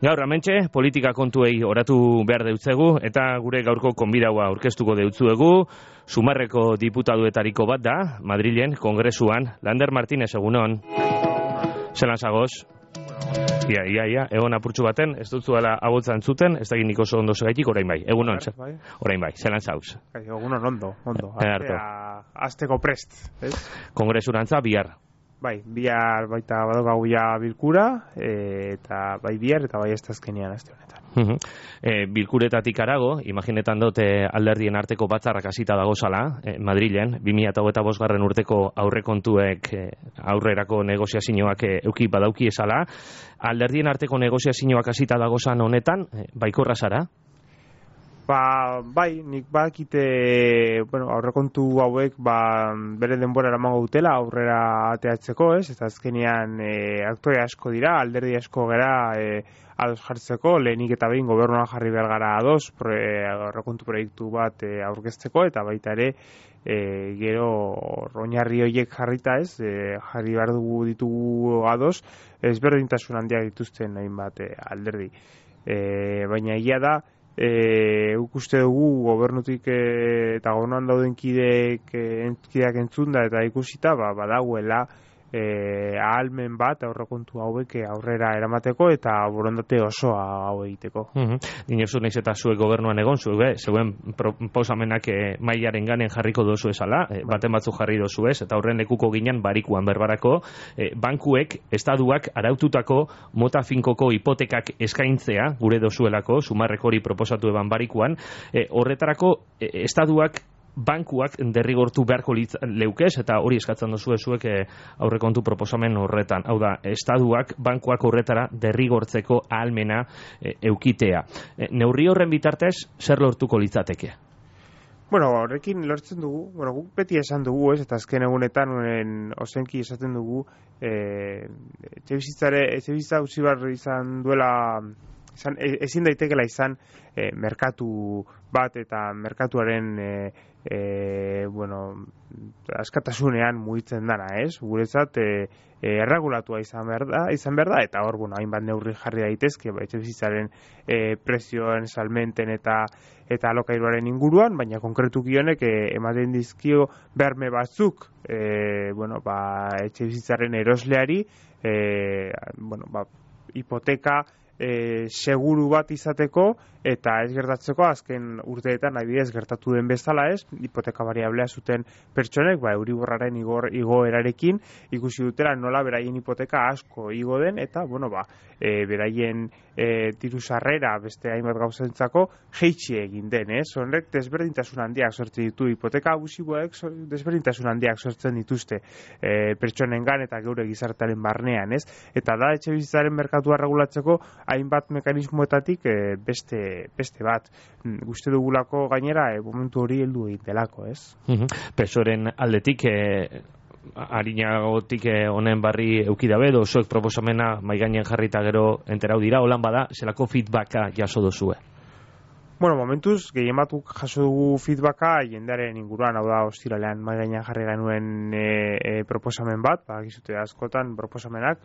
Gaur hementxe politika kontuei oratu behar deutzegu eta gure gaurko konbidaua aurkeztuko deutzuegu. Sumarreko diputaduetariko bat da, Madrilen, Kongresuan. Lander Martínez, egunon. Zelan zagoz? Ia, egon apurtxu baten, ez dutzuela abotzan zuten, ez da giniko oso ondo segaitik, orain bai. Egunon, orain bai, zelan zauz? Egunon ondo. Azteko prest, ez? Kongresurantza bihar. Bai, bihar baita badokagu ja bilkura, eta bai bihar eta bai ez azkenean aste honetan. Bilkuretatik arago, imaginetan dut alderdien arteko batzarrak hasita dagozala, Madrilen, 2025 urteko aurrekontuek aurrerako negoziazioak euki badauki esala. Alderdien arteko negoziazioak hasita dagozan honetan, baikorra zara? Bai, nik badakite, aurrekontu hauek bere denbora eramango dutela aurrera ateatzeko, ez? Eta azkenean aktore asko dira, alderdi asko gara ados jartzeko, lehenik eta behin gobernuan jarri behar gara ados aurrekontu proiektu bat aurkezteko, eta baita ere gero oinarri horiek jarrita, ez? Jarri behar ditugu ados, ezberdintasun handiak dituzten hainbat alderdi. Baina egia da, uste dugu gobernutik eta gobernuan dauden kideak entzunda eta ikusita badagoela ahalmen bat aurrekontu hauek aurrera eramateko eta borondate osoa hau egiteko. Dinosu naiz eta zuek gobernuan egon, zeuen proposamenak mailaren ganen jarriko dozu esala, baten batzuk jarri dozu ez, eta horren lekuko ginen barikuan berbarako, bankuek, estaduak araututako mota finkoko hipotekak eskaintzea, gure dozuelako, Sumarrek hori proposatu eban barikuan, horretarako estaduak bankuak derrigortu beharko leukez, eta hori eskatzen dozu zuek aurrekontu proposamen horretan. Hau da, estaduak bankuak horretara derrigortzeko ahalmena eukitea. Neurri horren bitartez, zer lortuko litzateke? Horrekin lortzen dugu, guk beti esan dugu, ez, eta azken egunetan ozenki esaten dugu, etxebizitza utzi behar izan duela, ezin daitekela izan merkatu bat eta merkatuaren askatasunean mugitzen dana, ez? Guretzat erregulatua izan behar da, eta hor, hainbat neurri jarri daitezke, etxebizitzaren prezioen salmenten eta alokairuaren inguruan, baina konkretuki honek ematen dizkio berme batzuk etxebizitzaren erosleari, hipoteka seguru bat izateko eta ez gertatzeko azken urteetan adibidez gertatu den bezala, ez, hipoteka variablea zuten pertsonek euriborraren igoerarekin ikusi dutela nola beraien hipoteka asko igo den eta beraien diru sarrera beste hainbat gauzentzako jeitsi egin den, ez? Horrek desberdintasun handiak sortzen ditu, hipoteka abusiboek desberdintasun handiak sortzen dituzte pertsonengan eta geure gizartearen barnean, ez? Eta da etxebizitzaren merkatua regulatzeko hainbat mekanismoetatik beste bat. Uste dugulako gainera momentu hori heldu egin delako, ez? Pesoren aldetik harinagotik honen barri eukidabe, dozuek proposamena maigainen jarrita gero enterau dira, holan bada, zelako feedbacka jaso dozue? Momentuz, gehien batuk jaso dugu feedbacka jendearen inguruan, hau da, ostiralean maigainan jarri genuen proposamen bat, gizute askotan proposamenak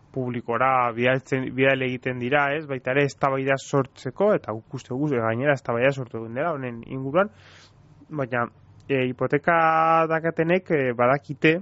publikora bidale egiten dira, ez? Baita ere eztabaida sortzeko, eta guk uste dugu gainera eztabaida sortu egin dela honen inguruan, baina hipoteka dakatenek badakite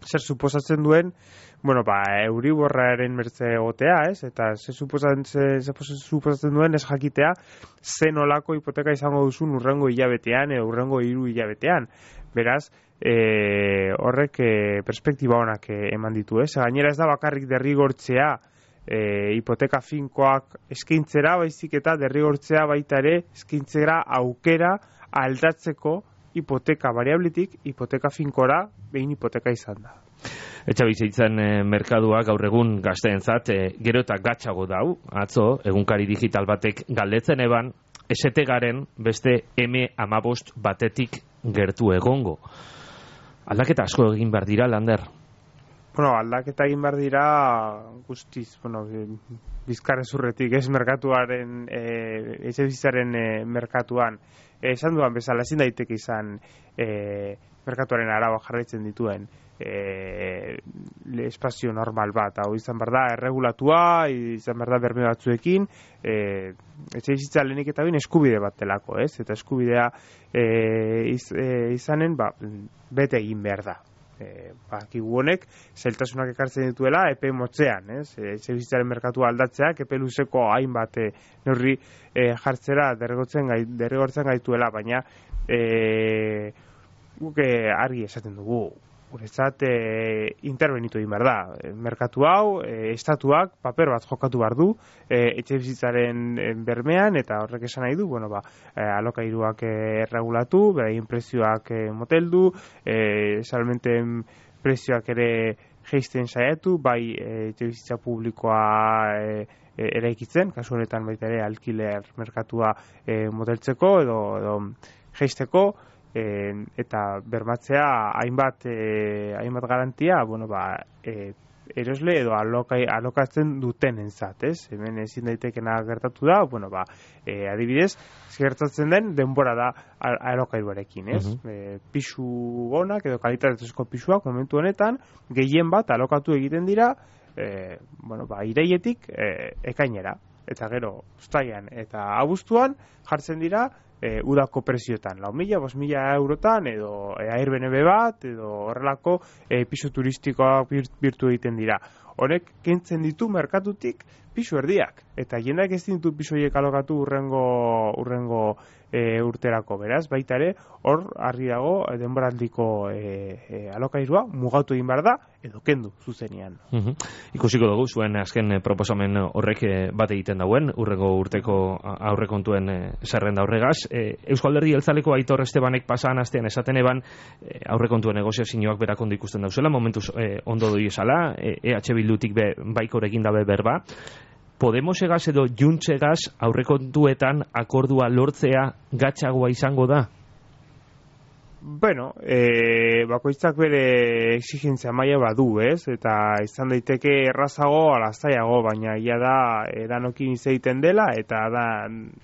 zer suposatzen duen euriborraren mertze egotea, ez? Eta zer suposatzen duen ez jakitea zen olako hipoteka izango duzun urrengo hilabetean edo urrengo 3 hilabetean. Beraz, horrek perspektiba honak eman ditu, ez? Gainera ez da bakarrik derrigortzea hipoteka finkoak eskaintzera, baizik eta derrigortzea baita ere eskaintzera aukera aldatzeko hipoteka variabletik hipoteka finkora behin hipoteka izan da. Etxabizitzen merkadua gaur egun gazteentzat gero eta gatzago dau, atzo, egunkari digital batek galdetzen eban, esete garen beste M15 batetik gertu egongo. Aldaketa asko egin behar dira, Lander? Aldaketa egin behar dira guztiz, bizkarrezurretik, ez merkatuaren, etxebizitzaren merkatuan. Esan duan bezala, ezin daiteke izan merkatuaren araba jarraitzen dituen espazio normal bat, hau izan behar da erregulatua, izan behar da berme batzuekin, etxebizitza lehenik eta bain eskubide bat delako, ez? Eta eskubidea izanen, bete egin behar da. Kigu honek zailtasunak ekartzen dituela epe motzean, ez? Etxebizitzaren merkatua aldatzeak epe luzeko hainbat neurri jartzera derrigortzen gaituela, baina guk argi esaten dugu, guretzat interbenitu egin behar da. Merkatu hau, estatuak paper bat jokatu behar du etxebizitzaren bermean, eta horrek esan nahi du, alokairuak erregulatu, beraien prezioak moteldu, salmenten prezioak ere jeisten saiatu, bai etxebizitza publikoa eraikitzen, kasu honetan baita ere alkiler merkatua moteltzeko edo jeisteko, eta bermatzea hainbat garantia, erosle edo alokatzen dutenentzat, ez? Hemen ezin daitekena gertatu da, adibidez, gertatzen den denbora da alokairuarekin, ez? Pisu onak edo kalitatezko pisuak momentu honetan gehien bat alokatu egiten dira, iraietik ekainera, eta gero uztailean eta abuztuan jartzen dira udako prezioetan, 4.000, 5.000 eurotan, edo Airbnb bat, edo horrelako pisu turistikoak birtu egiten dira. Honek kentzen ditu merkatutik pisu erdiak, eta jendeak ez ditu pisu horiek alokatu urrengo urterako, beraz, baita ere, hor argi dago denboraldiko alokairua mugatu egin behar da, edo kendu zuzenean. Ikusiko dugu, zuen azken proposamen horrek bat egiten dauen, urrengo urteko aurrekontuen zerrenda horregaz. Eusko Alderdi Jeltzaleko Aitor Estebanek pasan astean esaten eban aurrekontuen negoziazioak berak ondo ikusten dauzela, momentuz ondo doi esala, EH Bildutik baikor egin dabe berba. Podemosegaz edo Juntsegaz aurrekontuetan akordua lortzea gatzagoa izango da? Bakoitzak bere exigentzia maila badu, ez? Eta izan daiteke errazago ala zailago, baina ia da danokin hitz egiten dela, eta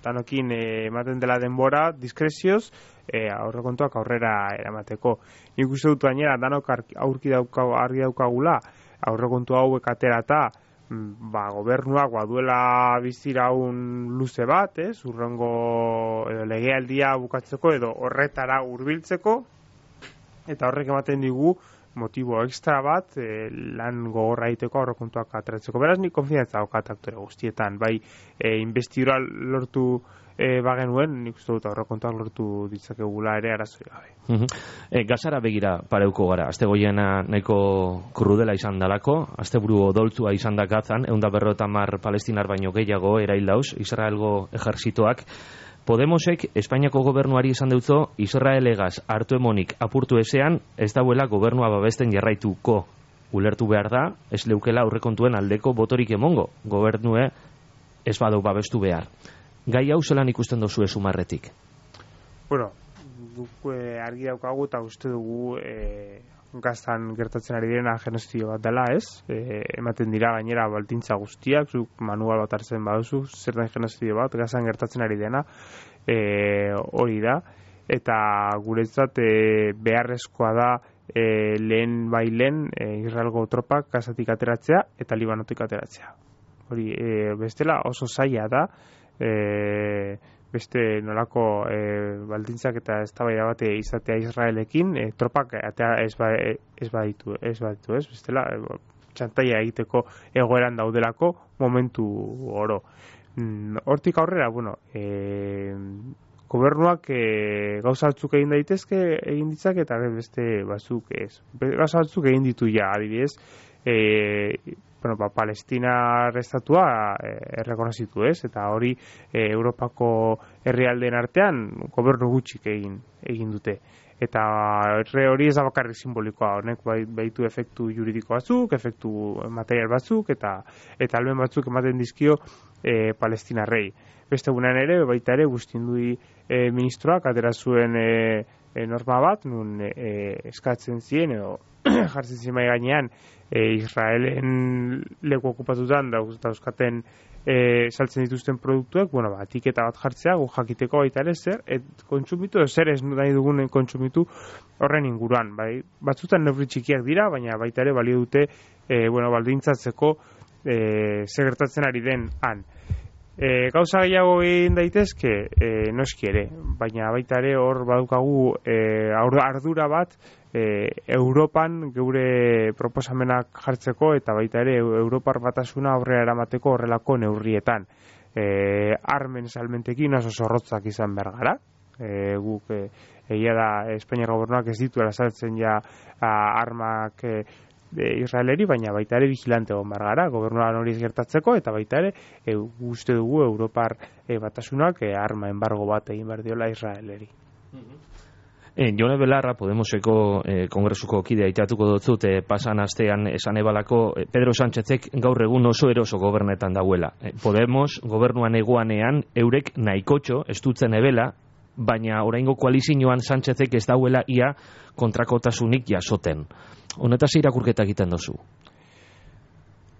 danokin ematen dela denbora diskrezioz aurrekontuak aurrera eramateko. Nik uste dut gainera danok argi daukagula aurrekontu hauek aterata, gobernuak duela biziraun luze bat, urrengo legealdia bukatzeko edo horretara hurbiltzeko, eta horrek ematen digu motibo extra bat lan gogorra egiteko aurrekontuak ateratzeko. Beraz, nik konfiantza daukat aktore guztietan, bai investidura lortu bagenuen, nik uste dut aurrekontuak lortu ditzakegula ere arazoi gabe. Gazara begira pareuko gara, azte goiena nahiko krudela izan dalako, azte buru odoltzua izan da Gazan, 150 palestinar baino gehiago erail dauz, Israelgo ejerzitoak. Podemosek Espainiako gobernuari esan deutzo, Israelegaz hartu emonik apurtu ezean, ez dauela gobernua babesten jarraituko. Ulertu behar da, ez leukela aurrekontuen aldeko botorik emongo, gobernue ez badau babestu behar. Gai hau zelan ikusten dozu sumarretik? Guk argi daukagu eta uste dugu Gazan gertatzen ari direna genozidio bat dela, ez? Ematen dira gainera baldintza guztiak, zuk manual bat hartzen baduzu, zer den genozidio bat, Gazan gertatzen ari dena, hori da, eta guretzat beharrezkoa da lehen Israelgo tropak Gazatik ateratzea eta Libanotik ateratzea. Hori, bestela oso zaila da, beste nolako baldintzak eta eztabaida bat izatea Israelekin, tropak ez baditu, bestela txantaia egiteko egoeran daudelako momentu oro. Hortik aurrera, gobernuak gauza batzuk egin daitezke egin ditzak eta beste batzuk ez. Gauza batzuk egin ditu ja, adibidez, Palestina estatua errekonozitu, ez? Eta hori Europako herrialdeen artean gobernu gutxik egin dute. Eta hori ez da bakarrik simbolikoa, honek baitu efektu juridiko batzuk, efektu material batzuk, eta almen batzuk ematen dizkio Palestinarrei. Beste gunean ere, baita ere, Gustindui ministroak atera zuen norma bat, nun eskatzen ziren, edo jartzen ziren mai gainean, Israelen leku okupatutan dauzkaten saltzen dituzten produktuek, etiketa bat jartzea, gu jakiteko baita ere zer, kontsumitu, zer ez nahi dugunen kontsumitu horren inguruan. Bai, batzutan neurri txikiak dira, baina baita ere balio dute baldintzatzeko zer gertatzen ari den han. Gauza gehiago egin daitezke, noski ere, baina baita ere hor badukagu ardura bat Europan geure proposamenak jartzeko eta baita ere Europar batasuna aurrera eramateko horrelako neurrietan. Armen salmentekin oso zorrotzak izan behar gara. Guk egia da Espainiar gobernuak ez dituela saltzen ja armak Israeleri, baina baita ere vigilante egon behar gara, gobernuan hori ez gertatzeko, eta baita ere uste dugu Europar batasunak arma embargo bat egin behar diola Israeleri. Jone Belarra, Podemoseko kongresuko kidea itatuko dutzut, pasan astean esan ebalako Pedro Sánchezek gaur egun oso eroso gobernetan dauela. Podemos gobernuan egoanean eurek nahikotxo estutzen ebela, baina oraingo koalizioan Sánchezek ez dauela ia kontrakotasunik jasoten. Honetaz irakurketa egiten dozu?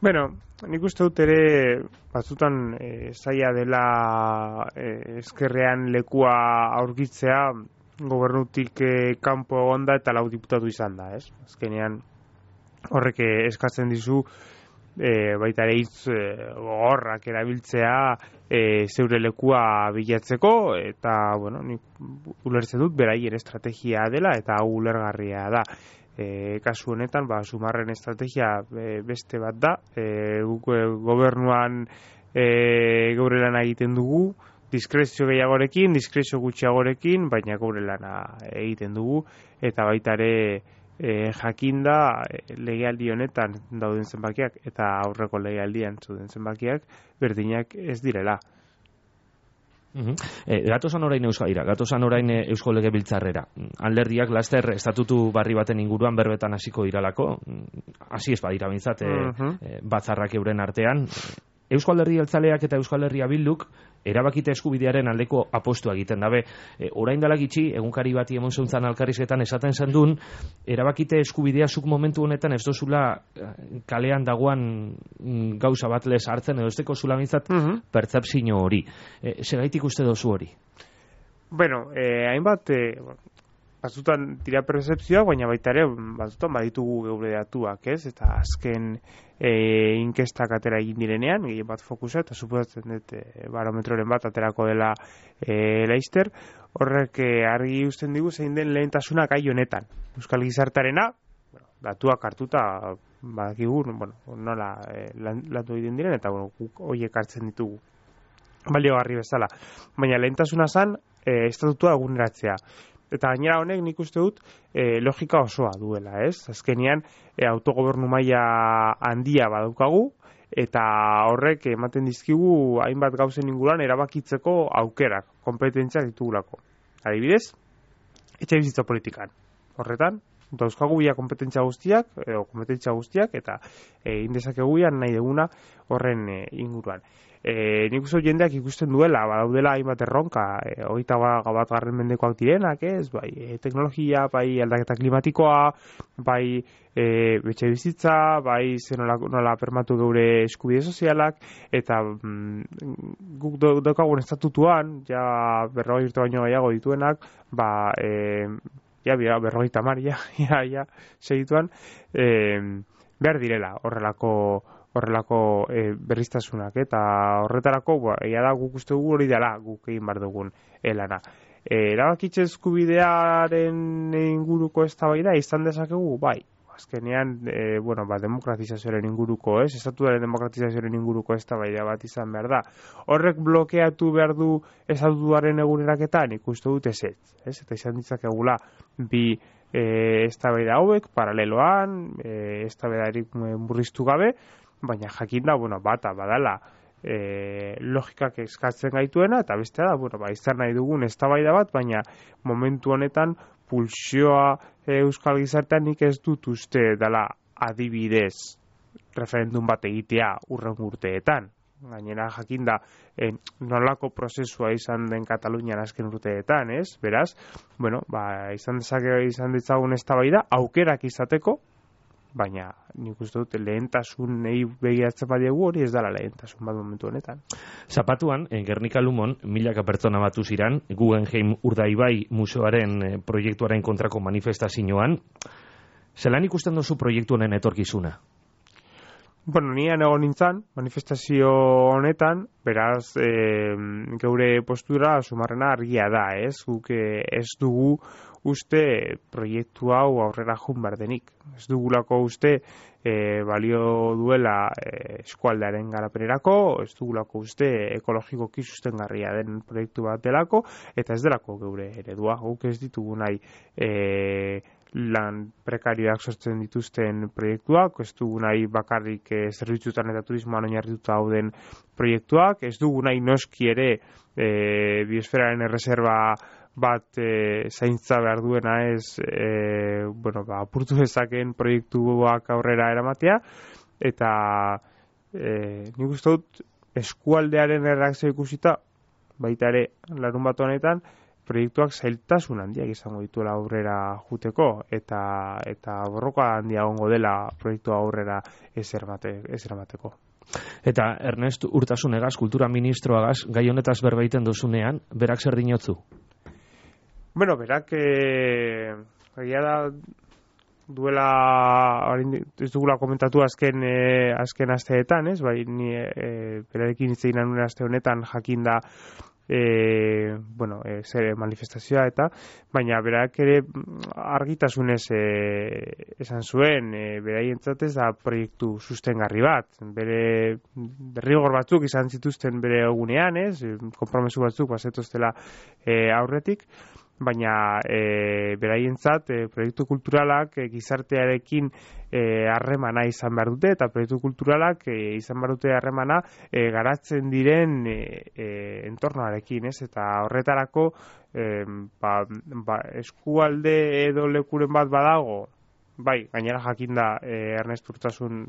Nik uste dut ere batzutan zaila dela ezkerrean lekua aurkitzea gobernutik kanpo egonda eta lau diputatu izan da, ez? Azkenean horrek eskatzen dizu baita ere hitz gogorrak erabiltzea zeure lekua bilatzeko eta, nik ulertzen dut beraien estrategia dela eta hau ulergarria da. Kasu honetan, Sumarren estrategia beste bat da, gobernuan geure lana egiten dugu, diskrezio gehiagorekin, diskrezio gutxiagorekin, baina geure lana egiten dugu, eta baita ere jakinda legealdi honetan dauden zenbakiak eta aurreko legealdian zuden zenbakiak berdinak ez direla. Gatozan orain Eusko Legebiltzarrera. Alderdiak laster estatutu barri baten inguruan berbetan hasiko diralako, hasi ez badira bintzat batzarrak euren artean. Eusko Alderdi Jeltzaleak eta Euskal Herria Bilduk erabakite eskubidearen aldeko apostua egiten dabe. Orain dela gitxi, egunkari bati emon zuntzan alkarrizketan esaten zendun, erabakite eskubidea zuk momentu honetan ez dozula kalean dagoan gauza bat lez hartzen, edo ez deko zula bintzat pertzepzio hori. Segaitik uste dozu hori? Hainbat batzutan dira percepzioa, baina baita ere batzutan baditugu geure datuak, ez? Eta azken inkestak atera egin direnean, gehien bat fokusa, eta suposatzen dut barometroren bat aterako dela Leister, horrek argi uzten digu zein den lehentasuna gai honetan. Euskal gizartarena, datuak hartuta badakigu, nola landu egiten diren, eta guk horiek hartzen ditugu baliogarri bezala. Baina lehentasuna zen estatutua eguneratzea. Eta gainera honek nik uste dut logika osoa duela, ez? Azkenean autogobernu maila handia badaukagu eta horrek ematen dizkigu hainbat gauzen inguruan erabakitzeko aukerak, kompetentziak ditugulako. Adibidez, etxebizitza politikan. Horretan, dauzkagu ia kompetentzia guztiak eta indezakegu nahi deguna horren inguruan. Nik uste jendeak ikusten duela, badaudela hainbat erronka, 21. mendekoak direnak, ez? Bai, teknologia, bai aldaketa klimatikoa, bai etxebizitza, bai nola permatu geure eskubide sozialak, eta guk daukagun estatutuan, ja 40 urte baino gehiago dituenak, berrogeita hamar, segituan, behar direla horrelako berriztasunak, eta horretarako egia da guk uste dugu hori dela guk egin behar dugun lana. Erabakitze eskubidearen inguruko eztabaida izan dezakegu, bai. Azkenean, demokratizazioaren inguruko, estatuaren demokratizazioaren inguruko eztabaida bat izan behar da. Horrek blokeatu behar du estatuaren eguneraketan, ikuste dut ez. Eta izan ditzakegula bi eztabaida hauek, paraleloan, eztabaidarik murriztu gabe, baina jakinda, bata badala logikak eskatzen gaituena, eta bestea da, izan nahi dugun eztabaida bat, baina momentu honetan pulsioa euskal gizartean nik ez dut uste dela adibidez referendum bat egitea urren urteetan. gainera jakinda nolako prozesua izan den Katalunian azken urteetan, ez? Beraz, bueno, izan ditzagun eztabaida aukerak izateko, baina nik uste dut lehentasunei begiratzen badiegu hori ez dela lehentasun bat momentu honetan. Zapatuan, Gernika Lumon, milaka pertsona batu ziran, Guggenheim Urdaibai museoaren proiektuaren kontrako manifestazioan. Zelan ikusten duzu proiektu honen etorkizuna? Bueno, nian egon nintzen, manifestazio honetan, beraz, geure postura sumarrena argia da, ez? Guk ez dugu uste proiektu hau aurrera jun behar denik. Ez dugulako uste balio duela eskualdearen garapenerako, ez dugulako uste ekologikoki sustengarria den proiektu bat delako, eta ez delako geure eredua. Guk ez ditugu nahi lan prekarioak sortzen dituzten proiektuak, ez dugu nahi bakarrik zerbitzutan eta turismoan oinarrituta dauden proiektuak, ez dugu nahi noski ere biosferaren erreserba bat zaintza behar duena ez apurtu dezakeen proiektuak aurrera eramatea, eta nik uste dut eskualdearen erreakzio ikusita, baita ere larun bat honetan, proiektuak zailtasun handiak izango dituela aurrera juteko, eta borroka handia egongo dela proiektu aurrera ez eramateko. Eta Ernest Urtasunegaz, kultura ministroagaz, gai honetaz berbaiten dozunean, berak zer dinotzu? Bueno, berak egia da duela ez dugula komentatu azken asteetan, ez? Bai, ni berarekin hitz egin nuen aste honetan jakinda zer manifestazioa eta, baina berak ere argitasunez esan zuen, beraientzat ez da proiektu sustengarri bat, bere derrigor batzuk izan zituzten bere egunean, ez? Konpromesu batzuk bazetoztela aurretik, baina beraientzat proiektu kulturalak gizartearekin harremana izan behar dute, eta proiektu kulturalak izan behar dute harremana garatzen diren entornoarekin, ez? Eta horretarako eskualde edo lekuren bat badago, bai, gainera jakinda Ernest Urtasun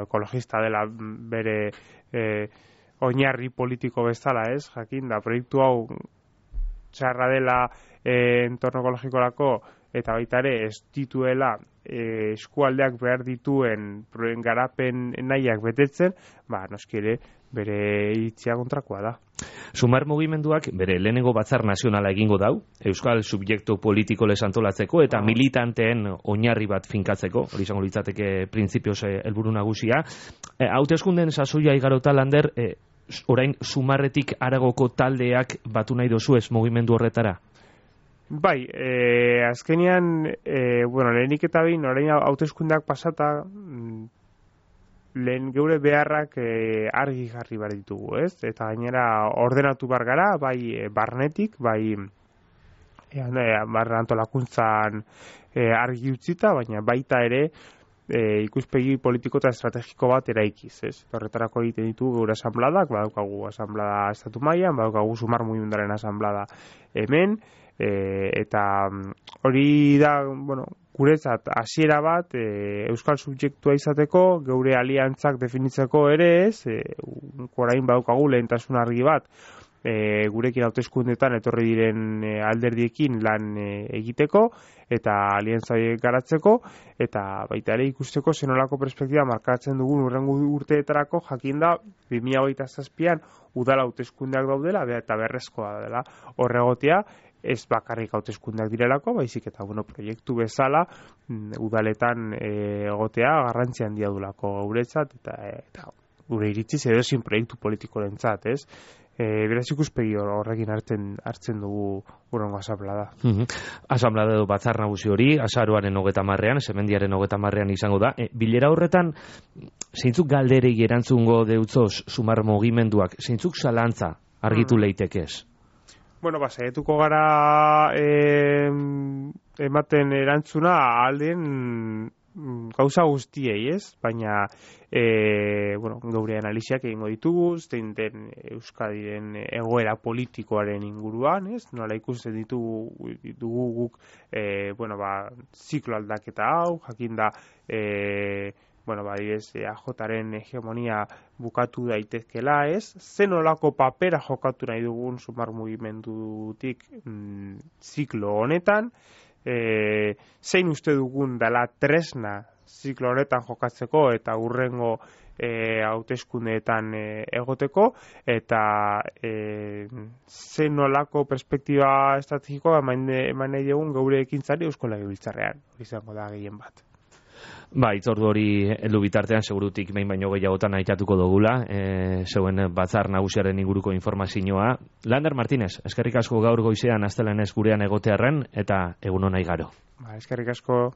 ekologista dela bere oinarri politiko bezala, ez? Jakinda proiektu hau txarra dela entorno ekologikorako, eta baita ere ez dituela eskualdeak behar dituen garapen nahiak betetzen, noski ere bere iritzia kontrakoa da. Sumar mugimenduak bere lehenengo batzar nazionala egingo dau, euskal subjektu politiko lez antolatzeko eta militanteen oinarri bat finkatzeko, hori izango litzateke printzipioz helburu nagusia. Hauteskundeen sasoia igarota, Lander, orain Sumarretik haragoko taldeak batu nahi dozu ez mugimendu horretara? Bai, azkenean, lehenik eta behin, orain hauteskundeak pasata, lehen geure beharrak argi jarri behar ditugu, ez? Eta gainera ordenatu bar gara, bai barnetik, bai barra antolakuntzan argi utzita, baina baita ere ikuspegi politiko eta estrategiko bat eraikiz, ez? Horretarako egiten ditugu geure asanbladak, badaukagu asanblada estatu mailan, badaukagu Sumar mugimendaren asanblada hemen, eta hori da, guretzat hasiera bat euskal subjektua izateko, geure aliantzak definitzeko ere ez, orain badaukagu lehentasun argi bat, gurekin hauteskundetan etorri diren alderdiekin lan egiteko eta aliantza garatzeko, eta baita ere ikusteko zenolako perspektiba markatzen dugun hurrengo urteetarako, jakinda 2027an udala hauteskundeak daudela eta berrezkoa dela horregotea, ez bakarrik hauteskundeak direlako, baizik eta proiektu bezala udaletan egotea garrantzi handia dulako guretzat, eta gure iritziz edozein proiektu politikorentzat, ez? Beraz ikuspegi horrekin hartzen dugu hurrengo asanblada. Asanblada edo batzar nagusi hori, azaroaren 30ean, semendiaren 30ean izango da. Bilera horretan, zeintzuk galderei erantzungo deutzoz Sumar mugimenduak, zeintzuk zalantza argitu leitekez? Saietuko gara ematen erantzuna alden gauza guztiei, ez? Baina geure analiziak egingo ditugu, zein den Euskadiren egoera politikoaren inguruan, ez? Nola ikusten ditugu guk ziklo aldaketa hau, jakinda bueno, AJaren hegemonia bukatu daitezkela, ez? Zen olako papera jokatu nahi dugun sumar mugimendutik ziklo honetan, zein uste dugun dela tresna ziklo honetan jokatzeko eta hurrengo hauteskundeetan egoteko, eta zen nolako perspektiba estrategikoa eman nahi dugun geure ekintzari Eusko Legebiltzarrean, izango da gehien bat. Itzordu hori heldu bitartean segurutik behin baino gehiagotan aitatuko dugula, zeuen batzar nagusiaren inguruko informazioa. Lander Martínez, eskerrik asko gaur goizean astelenez gurean egotearren, eta egun ona igaro. Eskerrik asko.